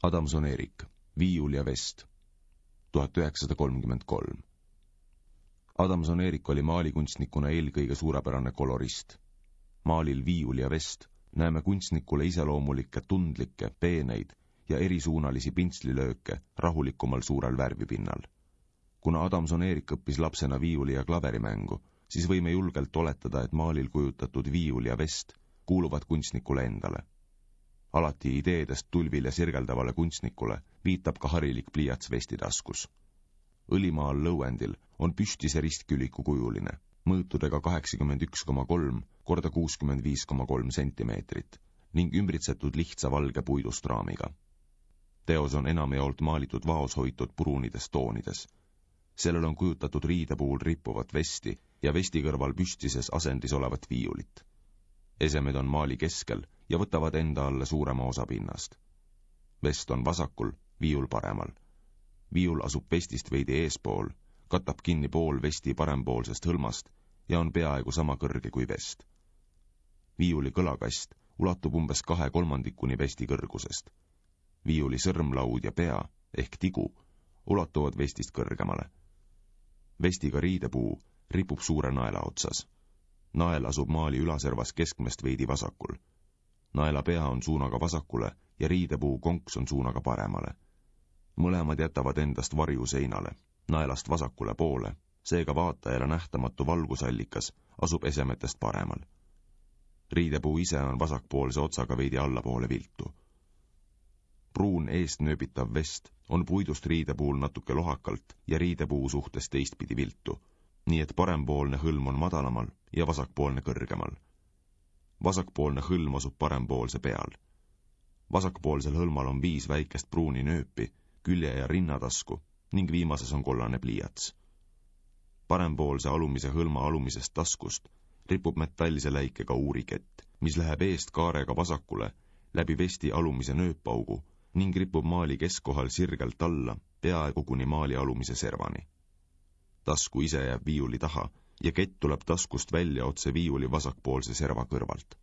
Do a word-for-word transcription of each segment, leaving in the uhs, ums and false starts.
Adamson-Erik, Viiul ja vest, tuhat üheksasada kolmkümmend kolm. Adamson-Erik oli maalikunstnikuna eelkõige suurepärane kolorist. Maalil Viiul ja vest näeme kunstnikule iseloomulikke tundlikke, peeneid ja erisuunalisi pintslilööke rahulikumal suurel värvipinnal. Kuna Adamson-Erik õppis lapsena viiuli ja klaverimängu, siis võime julgelt oletada, et maalil kujutatud viiul ja vest kuuluvad kunstnikule endale. Alati ideedest tulvil ja sirgeldavale kunstnikule viitab ka harilik pliiats vesti taskus. Õlimaal lõuendil on püstise ristküliku kujuline, mõõtudega kaheksakümmend üks koma kolm korda kuuskümmend viis koma kolm sentimeetrit ning ümbritsetud lihtsa valge puidust raamiga. Teos on enamjaolt maalitud vaos hoitud pruunides toonides. Sellel on kujutatud riide puhul rippuvat vesti ja vesti kõrval püstises asendis olevat viiulit. Esemed on maali keskel ja võtavad enda alla suurema osa pinnast. Vest on vasakul, viiul paremal. Viiul asub vestist veidi eespool, katab kinni pool vesti parempoolsest hõlmast ja on peaaegu sama kõrge kui vest. Viiuli kõlakast ulatub umbes kahe kolmandikuni vesti kõrgusest. Viiuli sõrmlaud ja pea ehk tigu ulatuvad vestist kõrgemale. Vestiga riidepuu ripub suure naela otsas. Nael asub maali ülaservas keskmest veidi vasakul. Naela pea on suunaga vasakule ja riidepuu konks on suunaga paremale. Mõlemad jätavad endast varju seinale, naelast vasakule poole, seega vaatajale nähtamatu valgusallikas asub esemetest paremal. Riidepuu ise on vasakpoolse otsaga veidi allapoole viltu. Pruun eest nööbitav vest on puidust riidepuul natuke lohakalt ja riidepuu suhtes teistpidi viltu, nii et parempoolne hõlm on madalamal ja vasakpoolne kõrgemal. Vasakpoolne hõlm asub parempoolse peal. Vasakpoolsel hõlmal on viis väikest pruuni nööpi, külje- ja rinnatasku ning viimases on kollane pliiats. Parempoolse alumise hõlma alumisest taskust ripub metallise läikega uurikett, mis läheb eest kaarega vasakule läbi vesti alumise nööppaugu ning ripub maali keskkohal sirgelt alla, peaaegu kuni maali alumise servani. Tasku ise jääb viiuli taha ja kett tuleb taskust välja otse viiuli vasakpoolse serva kõrvalt.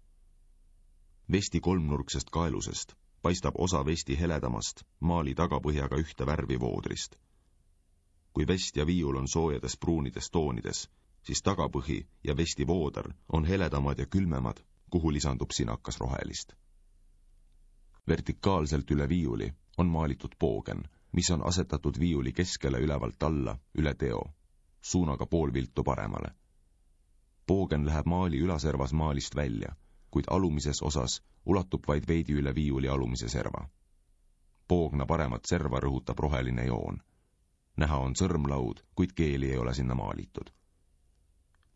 Vesti kolmnurksest kaelusest paistab osa vesti heledamast maali tagapõhjaga ühte värvi voodrist. Kui vest ja viiul on soojades pruunides toonides, siis tagapõhi ja vesti vooder on heledamad ja külmemad, kuhu lisandub sinakas rohelist. Vertikaalselt üle viiuli on maalitud poogen, mis on asetatud viiuli keskele ülevalt alla üle teo, suunaga pool viltu paremale. Poogen läheb maali ülaservas maalist välja, kuid alumises osas ulatub vaid veidi üle viiuli alumise serva. Poogna paremat serva rõhutab roheline joon. Näha on sõrmlaud, kuid keeli ei ole sinna maalitud.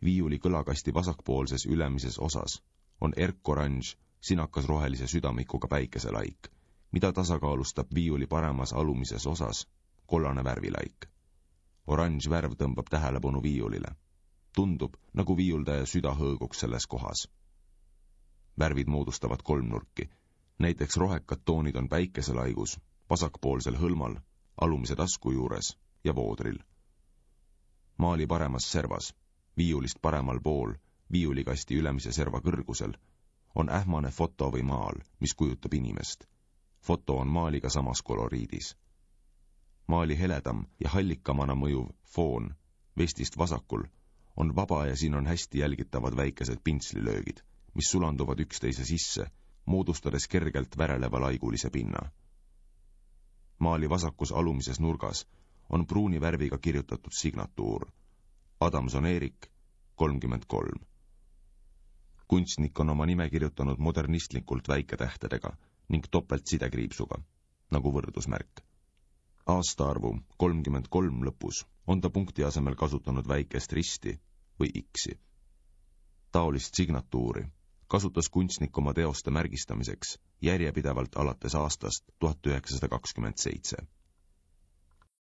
Viiuli kõlakasti vasakpoolses ülemises osas on erkoranž sinakas rohelise südamikuga päikeselaik, mida tasakaalustab viiuli paremas alumises osas kollane värvilaik. Oranž värv tõmbab tähelepanu viiulile. Tundub, nagu viiuldaja süda hõõguks selles kohas. Värvid moodustavad kolmnurki, näiteks rohekad toonid on päikeselaigus, vasakpoolsel hõlmal, alumise tasku juures ja voodril. Maali paremas servas, viiulist paremal pool, viiulikasti ülemise serva kõrgusel, on ähmane foto või maal, mis kujutab inimest. Foto on maaliga samas koloriidis. Maali heledam ja hallikamana mõjuv foon, vestist vasakul, on vaba ja siin on hästi jälgitavad väikesed pintslilöögid, mis sulanduvad üksteise sisse, moodustades kergelt väreleva laigulise pinna. Maali vasakus alumises nurgas on pruuni värviga kirjutatud signatuur Adamson-Erik kolmkümmend kolm. Kunstnik on oma nime kirjutanud modernistlikult väiketähtedega ning topelt sidekriipsuga, nagu võrdusmärk. Aastaarvu kolmkümmend kolm lõpus on ta punkti asemel kasutanud väikest risti või X-i. Taolist signatuuri kasutas kunstnik oma teoste märgistamiseks järjepidevalt alates aastast tuhat üheksasada kakskümmend seitse.